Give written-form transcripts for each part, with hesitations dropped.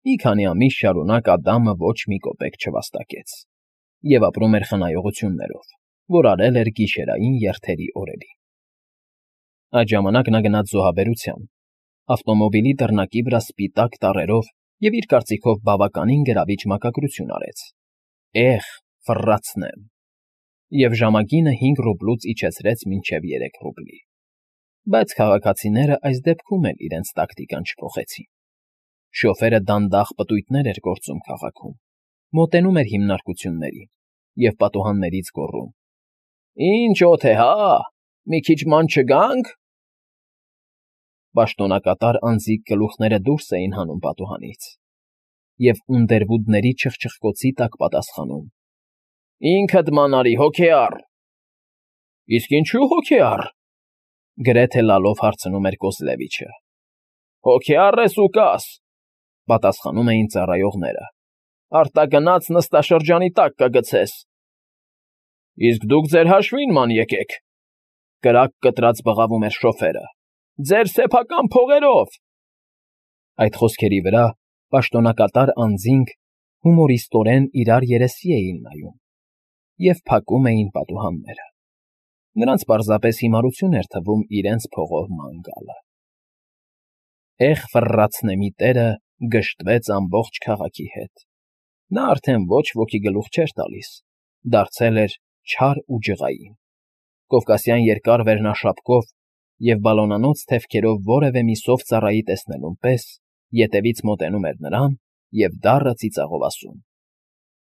Մի քանի ամիս շարունակ Ադամը ոչ մի կոպեկ չվաստակեց և ապրում էր խնայողություններով, որ արել էր գիշերային երթերի օրերին։ Այդ ժամանակ նա գնաց զոհաբերության, ավտոմոբիլի դռնակի վրա սպիտակ տառերով և իր կարծիքով բավականին գրավիչ մակագրություն արեց. ֆռացնեմ, և ժամագինը 5 ռուբլուց իջեցրեց մինչև 3 ռուբլի։ Բայց քաղաքացիները այս դեպքում էլ իրենց տակտիկան չփոխեցին։ Շոֆերը դանդաղ պտույտներ էր գործում քաղաքում, մոտենում էր հիմնարկություններին և պատուհաններից գոռում. «Ինչ օդ է, հա, մի քիչ ման չգա՞նք»։ Պաշտոնակատար անձիկ գլուխները դուրս էին հանում պատուհանից և ունդերվուդների չխչխկոցի տակ պատասխանում. «Ինքդ ման արի, հոգեառ»։ «Իսկ ինչու՞ հոգեառ», գրեթե լալով հարցնում էր Կոզլևիչը։ «Հոգեառ ես ու կաս», պատասխանում էին ծառայողները, «արտագնաց նստաշրջանի տակ կգցես»։ «Իսկ դուք ձեր հաշվին ման եկեք», կրակ կտրած բղավում էր շոֆերը, «ձեր սեփական փողերով»։ Այդ խոսքերի վրա պաշտոնակատար անձինք հումորիստորեն իրար երեսի էին նայում և փակում էին պատուհանները։ Նրանց պարզապես հիմարություն էր թվում իրենց փողով ման գալը։ Ֆռացնեմի տերը գժտվեց ամբողջ քաղաքի հետ։ Նա արդեն ոչ ոքի գլուխ չէր տալիս, դարձել էր չար ու ջղային, կովկասյան երկար վերնաշապկով և բալոնանոց թևքերով որևէ մի սով ծառայի տեսնելուն պես ետևից մոտենում էր նրան և դառը ծիծաղով ասում.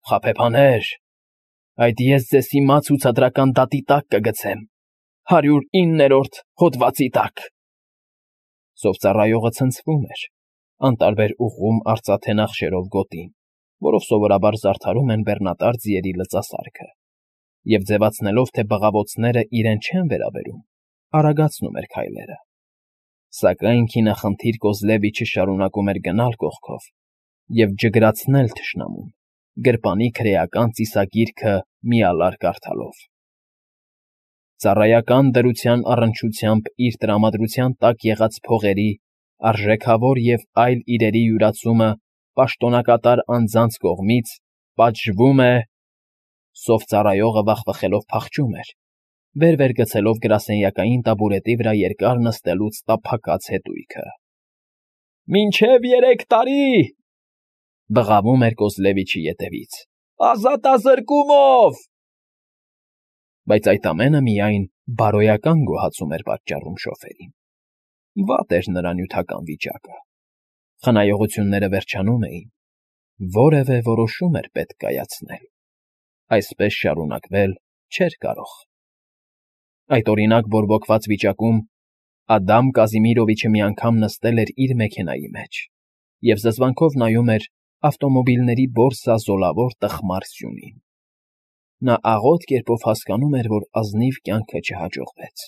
«Խաբեբաներ, այդ ես ձեզ հիմա ցուցադրական դատի տակ կգցեմ, 109-րդ հոդվածի տակ»։ Սովծառայողը ցնցվում էր, անտարբեր ուղղում արծաթե նախշերով գոտին, որով սովորաբար զարդարում են բեռնատար ձիերի լծասարքը, և ձևացնելով, թե բղավոցները իրեն չեն վերաբերում, արագացնում էր քայլերը։ Սակայն քինախնդիր Կոզլևիչը շարունակում էր գնալ կողքով և ջգրացնել թշնամուն, գրպանի քրեական ծիսագիրքը միալար կարդալով։ Ծառայական դրության առնչությամբ իր տրամադրության տակ եղած փողերի, արժեքավոր և այլ իրերի յուրացումը պաշտոնակատար անձանց կողմից պատժվում է… Սովծառայողը վախվխելով փախչում էր, վեր գցելով գրասենյակային տաբուրետի վրա երկար նստելուց տափակած հետույքը։ «Մինչև 3 տարի», բղավում էր Կոզլևիչի ետևից, «ազատազրկումով»։ Բայց այդ ամենը միայն բարոյական գոհացում էր պատճառում շոֆերին։ Վատ էր նրա նյութական վիճակը։ Խնայողությունները վերջանում էին, որևէ որոշում էր պետք կայացնել։ Այսպես շարունակվել չէր կարող։ Այդ օրինակ բորբոքված վիճակում Ադամ Կազիմիրովիչը մի անգամ նստել էր իր մեքենայի մեջ և զզվանքով նայում էր ավտոմոբիլների բորսա զոլավոր տխմար սյունին։ Նա աղոտ կերպով հասկանում էր, որ ազնիվ կյանքը չհաջողվեց,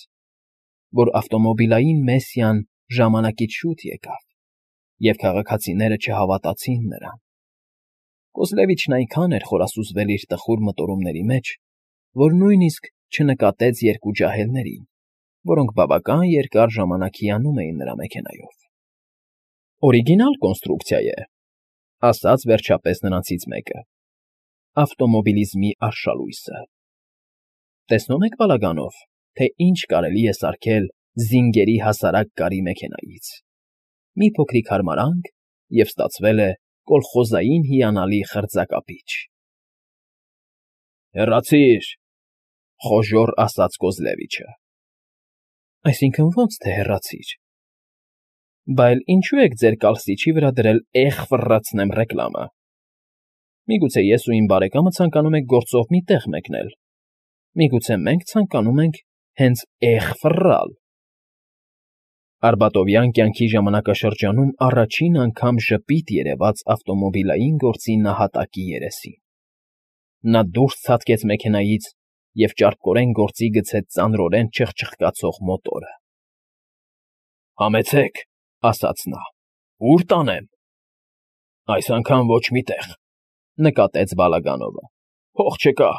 որ ավտոմոբիլային Մեսսիան ժամանակից շուտ եկավ, և քաղաքացիները չհավատացին նրան։ Կոզլևիչն այնքան էր խորասուզվել իր տխուր մտորումների մեջ, որ նույնիսկ չնկատեց երկու ջահելներին, որոնք բավական երկար ժամանակ հիանում էին նրա մեքենայով։ «Օրիգինալ կոնստրուկցիա է», ասաց վերջապես նրանցից մեկը, ավտոմոբիլիզմի արշալույսը։ «Տեսնում եք բալագանով, թե ինչ կարելի է սարքել զինգերի հասարակ կարի մեքենայից։ Մի փոքրիկ հարմարանք, և ստացվել է կոլխոզային հիանալի խրձակապիչ»։ «Հեռացի՛ր», խոժոռ ասաց Կոզլևիչը։ «Այսինքն ո՞նց թե հեռացի՛ր։ Բա էլ ինչո՞ւ եք ձեր կալսիչի վրա դրել ֆռացնեմ ռեկլամը։ Միգուցե ես ու իմ բարեկամը ցանկանում ենք գործով մի տեղ մեկնել։ Միգուցե մենք ցանկանում ենք հենց ֆռալ»։ Արբատովյան կյանքի ժամանակաշրջանում առաջին անգամ ժպիտ երևաց ավտոմոբիլային գործի նահատակի երեսին։ Նա դուրս ցատկեց մեքենայից և ճարպկորեն գործի գցեց ծանրորեն չխչխկացող մոտորը։ «Համեցեք», ասաց նա, «ուր տանեմ»։ «Այս անգամ ոչ մի տեղ», նկատեց Բալագանովը, «փող չկա»։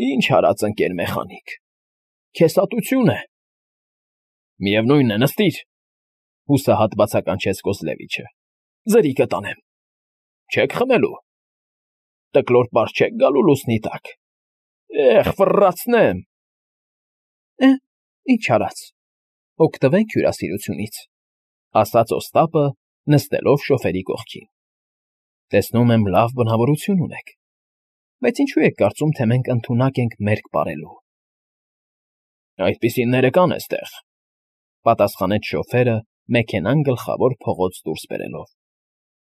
«Ինչ արած ընկեր մեխանիկ, քեսատություն է»։ «Միևնույն է, նստիր», հուսահատ բացականչեց Կոզլևիչը, Ձրի կտանեմ։ Չեք խմելու։ Տկլոր պար չեք գալու լուսնի տակ։ Ֆռացնեմ։ Ինչ արած։ Օգտվենք հյուրասիրությունից, ասաց Օստապը, նստելով շոֆերի կողքին։ Տեսնում եմ, լավ բնավորություն ունեք, բայց ինչու եք կարծում, թե մենք ընդունակ ենք մերկ պարելու։ Այդպիսիները կան էստեղ, պատասխանեց շոֆերը, մեքենան գլխավոր փողոց դուրս բերելով։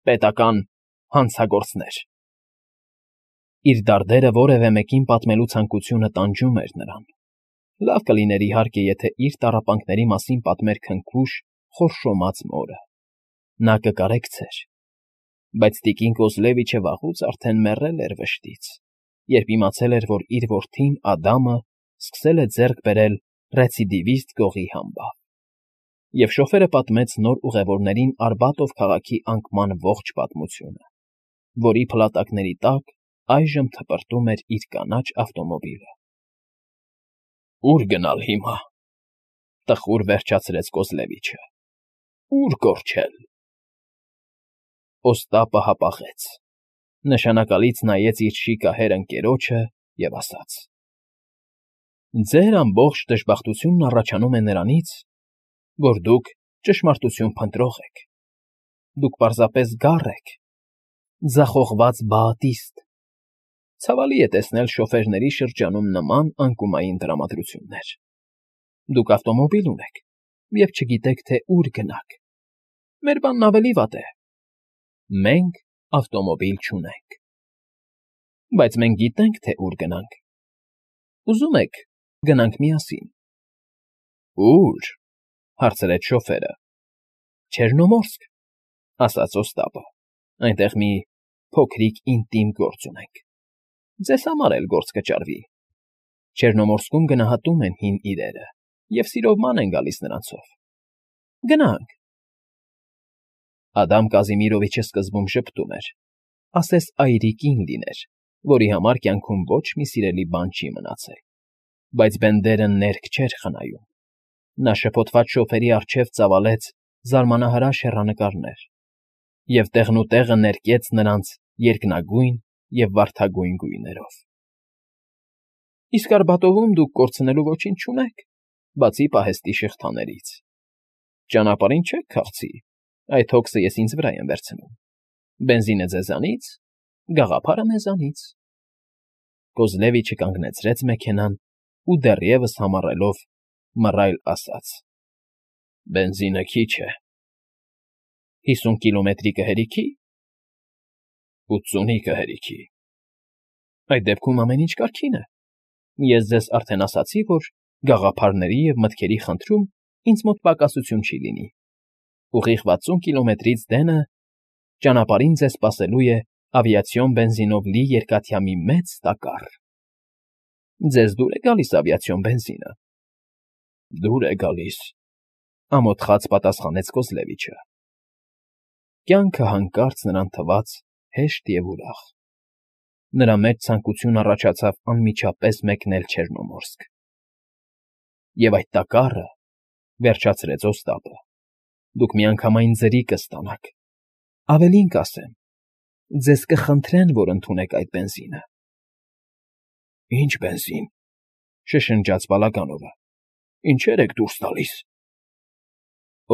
Պետական հանցագործներ։ Իր դարդերը որևէ մեկին պատմելու ցանկությունը տանջում էր նրան։ Լավ կլիներ իհարկե, եթե իր տառապանքների մասին պատմեր քնքուշ, խորշոմած մորը։ Նա կկարեկցեր։ Բայց տիկին Կոզլևիչը վաղուց արդեն մեռել էր վշտից, երբ իմացել էր, որ իր որդին Ադամը սկսել է ձեռք բերել ռեցիդիվիստ գողի համբավ։ Եվ շոֆերը պատմեց նոր ուղևորներին Արբատով քաղաքի անկման ողջ պատմությունը, որի փլատակների տակ այժմ թպրտում էր իր կանաչ ավտոմոբիլը։ Ո՞ւր գնալ հիմա, տխուր վերջացրեց Կոզլևիչը։ Ո՞ւր կորչել։ Օստապը հապաղեց, նշանակալից նայեց իր շիկահեր ընկերոջը և ասաց. Ձեր ամբողջ դժբախտությունն առաջանում է նրանից, որ դուք ճշմարտություն փնտրող եք։ Դուք պարզապես գառ եք, ձախողված բաատիստ։ Ցավալի է տեսնել շոֆերների շրջանում նման անկումային տրամադրություններ։ Դուք ավտոմոբիլ ունեք և չգիտեք, թե ուր գնաք։ Մեր բանն ավելի վատ է։ Մենք ավտոմոբիլ չունենք։ Բայց մենք գիտենք, թե ուր գնանք։ Ուզում եք, գնանք միասին։ Ո՞ւր, հարցրեց շոֆերը։ Չեռնոմորսկ, ասաց Օստապը։ Այնտեղ մի փոքրիկ ինտիմ գործ ունենք։ Ձեզ համար էլ գործ կճարվի։ Չեռնոմորսկում գնահատում են հին իրերը և սիրով ման են գալիս նրանցով։ Գնանք։ Ադամ Կազիմիրովիչը սկզբում ժպտում էր, ասես այրիկին լիներ, որի համար կյանքում ոչ մի սիրելի բան չի մնացել։ Բայց Բենդերը ներք չէր խնայում։ Նա շփոթված շոֆերի առջև ծավալեց զարմանահրաշ հեռանկարներ և տեղնուտեղը ներկեց նրանց երկնագույն և վարդագույն գույներով։ Իսկ Արբատովում դուք կորցնելու ոչինչ չունեք, բացի պահեստի շղթաներից։ Ճանապարհին չեք քաղցի, այդ հոգսը ես ինձ վրա եմ վերցնում։ Բենզինը ձեզանից, գաղափարը մեզանից։ Կոզլևիչը կանգնեցրեց մեքենան ու դեռևս համառելով մռայլ ասաց. Բենզինը քիչ է։ 50 կիլոմետրի կհերիքի։ 80-ի կհերիքի։ Այդ դեպքում ամեն ինչ կարգին է։ Ես ձեզ արդեն ասացի, որ գաղափարների և մտքերի խնդրում ինձ մոտ պակասություն չի լինի։ Ուղիղ 60 կիլոմետրից դենը ճանապարհին ձեզ սպասելու է ավիացիոն բենզինով լի երկաթյա մի մեծ տակառ։ Ձեզ դուր է գալիս ավիացիոն բենզինը։ Դուր է գալիս, ամոթխած պատասխանեց Կոզլևիչը։ Կյանքը հանկարծ նրան թվաց հեշտ և ուրախ։ Նրա մեջ ցանկություն առաջացավ անմիջապես մեկնել Չեռնոմորսկ։ Եվ այդ տակառը, վերջացրեց Օստապը, դուք միանգամայն ձրի կստանաք։ Ավելին կասեմ, ձեզ կխնդրեն, որ ընդունեք այդ բենզինը։ Ինչ բենզին, շշնջաց Բալագանովը։ Ինչեր եք դուրս տալիս։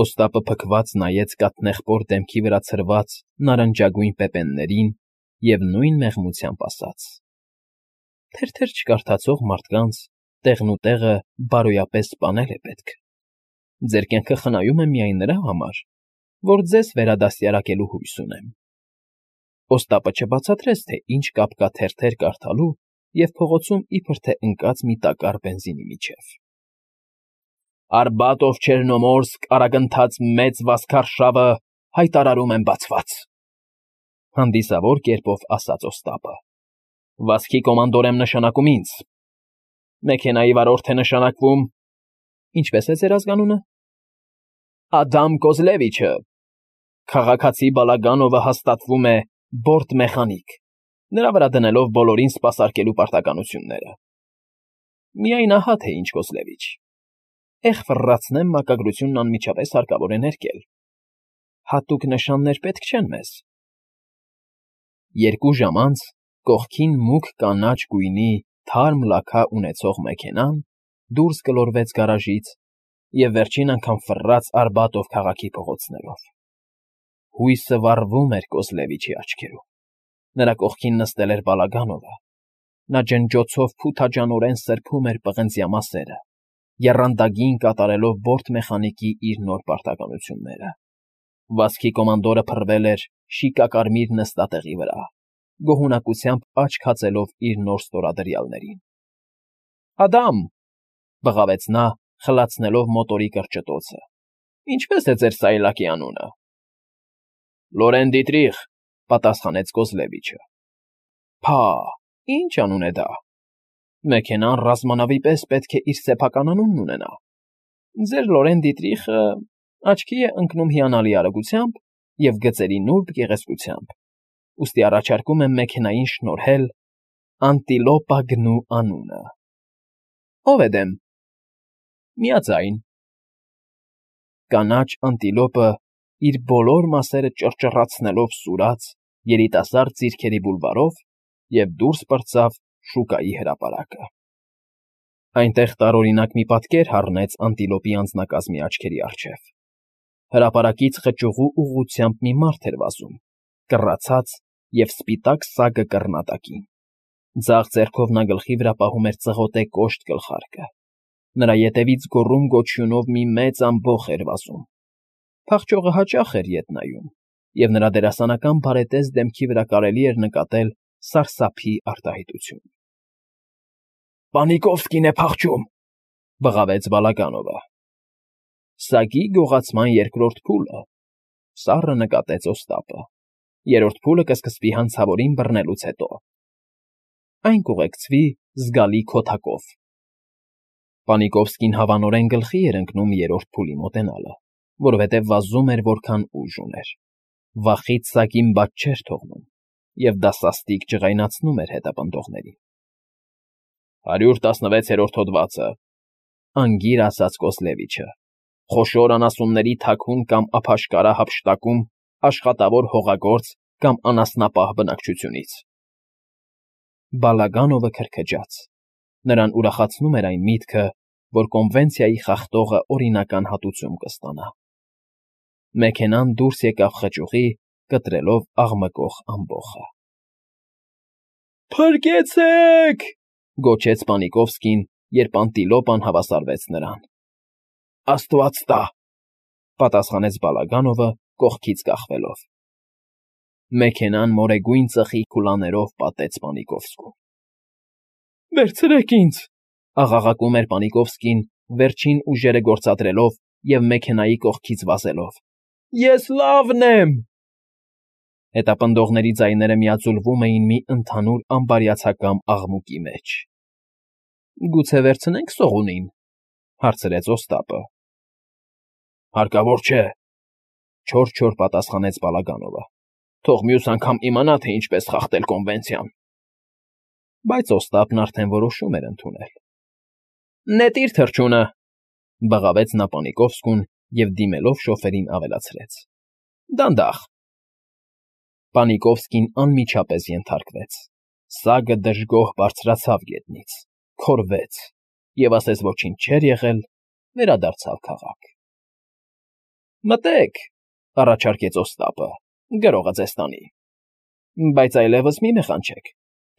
Օստապը փքված նայեց կաթնեղբոր դեմքի վրա ցրված նարնջագույն պեպեններին և նույն մեղմությամբ ասաց. Թերթեր չկարդացող մարդկանց տեղնուտեղը բարոյապես սպանել է պետք։ Ձեր կյանքը խնայում եմ միայն նրա համար, որ ձեզ վերադաստիարակելու հույս ունեմ։ Օստապը չբացատրեց, թե ինչ կապ կա թերթեր կարդալու և փողոցում իբր թե ընկած մի տակառ բենզինի միջև։ Արբատով Չեռնոմորսկ արագընթաց մեծ վազքարշավը հայտարարում եմ բացված, հանդիսավոր կերպով ասաց Օստապը։ Վազքի կոմանդոր եմ նշանակում ինձ։ Մեքենայի վարորդ է նշանակվում… Ինչպե՞ս է ձեր ազգանունը։ Ադամ Կոզլևիչը։ Քաղաքացի Բալագանովը հաստատվում է բորտմեխանիկ, նրա վրա դնելով բոլորին սպասարկելու պարտականությունները։ Միայն ահա թե ինչ Կոզլևիչ։ Ֆռացնեմ, մակագրությունն անմիջապես հարկավոր է ներկել։ Հատուկ նշաններ պետք չեն մեզ։ 2 ժամ անց կողքին մուգ կանաչ գույնի թարմ լաքա ունեցող մեքենան դուրս գլորվեց գարաժից և վերջին անգամ ֆռռաց Արբատով քաղաքի փողոցներով։ Հույսը վառվում էր Կոզլևիչի աչքերում։ Նրա կողքին նստել էր Բալագանովը։ Նա ջնջոցով փութաջանորեն սրբում էր պղնձյա մասերը, եռանդագին կատարելով բորտ մեխանիկի իր նոր պարտականությունները։ Վազքի կոմանդորը փռվել էր շիկակարմիր նստատեղի վրա, գոհունակությամբ աչք հացելով իր նոր ստորադրյալներին։ «Ադամ,» բղավեց նա, խլացնելով մոտորի կրճտոցը։ «Ինչպե՞ս է ձեր սայլակի անունը»։ «Լորեն Դիտրիխ», պատասխանեց Կոզլևիչը։ «Փա, ի՞նչ անուն է դա։ Մեքենան ռազմանավի պես պետք է իր սեփական անունն ունենա։ Ձեր Լորեն Դիտրիխը աչքի է ընկնում հիանալի արագությամբ և գծերի նուրբ գեղեցկությամբ, ուստի առաջարկում եմ մեքենային շնորհել Անտիլոպա գնու անունը»։ «Ո՞վ է դեմ»։ «Միաձայն»։ Կանաչ անտիլոպը, իր բոլոր մասերը ճռճռացնելով սուրաց երիտասարդ ձիրքերի բուլվարով և դուրս պրծավ շուկայի հրապարակը։ Այնտեղ տարօրինակ մի պատկեր հառնեց անտիլոպի անձնակազմի աչքերի առջև։ Հրապարակից խճուղու ուղղությամբ մի մարդ էր վազում, կռացած և սպիտակ սագը կռնատակին։ Ձախ ձեռքով նա գլխի վրա պահում էր ծղոտե կոշտ գլխարկը։ Նրա ետևից գոռում֊գոչյունով մի մեծ ամբոխ էր վազում։ Փախչողը հաճախ էր ետ նայում, և նրա դերասանական բարետես դեմքի վրա կարելի էր նկատել սարսափի արտահայտություն։ «Պանիկովսկին է փախչում», բղավեց Բալագանովը։ Սագի գողացման երկրորդ փուլը, սառը նկատեց Օստապը։ Երրորդ փուլը կսկսվի հանցավորին բռնելուց հետո։ Այն կուղեկցվի զգալի քոթակով։ Պանիկովսկին հավանորեն գլխի էր ընկնում երրորդ փուլի մոտենալը, որովհետև վազում էր որքան ուժ ուներ։ Վախից սագին բաց չէր թողնում, և դա սաստիկ ջղայնացնում էր հետապնդողներին։ 116-րդ հոդվածը, անգիր ասաց Կոզլևիչը, խոշոր անասունների թաքուն կամ ափաշկարա հափշտակում աշխատավոր հողագործ կամ անասնապահ բնակչությունից։ Բալագանովը քրքջաց։ Նրան ուրախացնում էր այն միտքը, որ կոնվենցիայի խախտողը օրինական հատուցում կստանա։ Մեքենան դուրս եկավ խճուղի, կտրելով աղմկող ամբոխը։ «Փրկեցե՜ք», գոչեց Պանիկովսկին, երբ անտիլոպան հավասարվեց նրան։ «Աստված տա», պատասխանեց Բալագանովը կողքից կախվելով։ Մեքենան մորեգույն ծխի քուլաներով պատեց Պանիկովսկուն։ «Վերցրեք ինձ», աղաղակում էր Պանիկովսկին, վերջին ուժերը գործադրելով և մեքենայի կողքից վազելով։ «Ես լավն եմ»։ Հետապնդողների ձայները միաձուլվում էին մի ընդհանուր ամբարյացակամ աղմուկի մեջ։ «Գուցե վերցնենք սողունին», հարցրեց Օստապը։ «Հարկավոր չէ», չոր պատասխանեց Բալագանովը։ «Թող մյուս անգամ իմանա, թե ինչպես խախտել կոնվենցիան»։ Բայց Օստապն արդեն որոշում էր ընդունել։ «Նետիր թռչունը», բղավեց նա Պանիկովսկուն և դիմելով շոֆերին ավելացրեց. «Դանդաղ»։ Պանիկովսկին անմիջապես ենթարկվեց։ Սագը դժգոհ բարձրացավ գետնից, քորվեց և, ասես ոչինչ չէր եղել, վերադարձավ քաղաք։ «Մտե՛ք», առաջարկեց Օստապը, «գրողը ձեզ տանի։ Բայց այլևս մի մեխանչեք,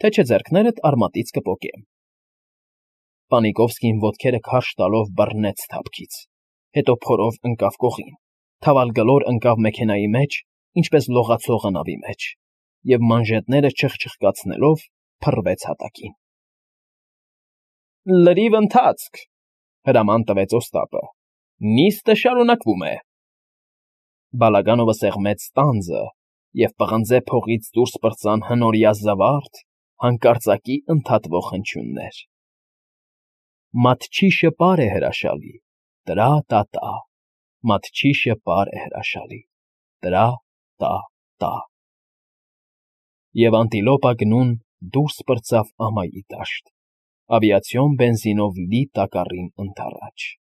թե չէ ձեռքներդ արմատից կպոկեմ»։ Պանիկովսկին ոտքերը քարշ տալով բռնեց թափքից, հետո փորով ընկավ կողին, թավալգլոր ընկավ մեքենայի մեջ, ինչպես լողացողը նավի մեջ, և մանժետները չխչխկացնելով փռվեց հատակին։ «Լրիվ ընթացք», հրաման տվեց Օստապը։ «Նիստը շարունակվում է»։ Բալագանովը սեղմեց ստանձը, և պղնձե փողից դուրս պրծան հնորյա զվարթ, հանկարծակի ընդհատվող հնչյուններ. Մատչիշը պար է հրաշալի, տրա՛֊տա՛֊տա, մատչիշը պար է հրաշալի, տրա՛֊տա՛֊տա։ Եվ Անտիլոպա գնուն դուրս պրծավ ամայի դաշտ, ավիացիոն բենզինով լի տակառին ընդառաջ։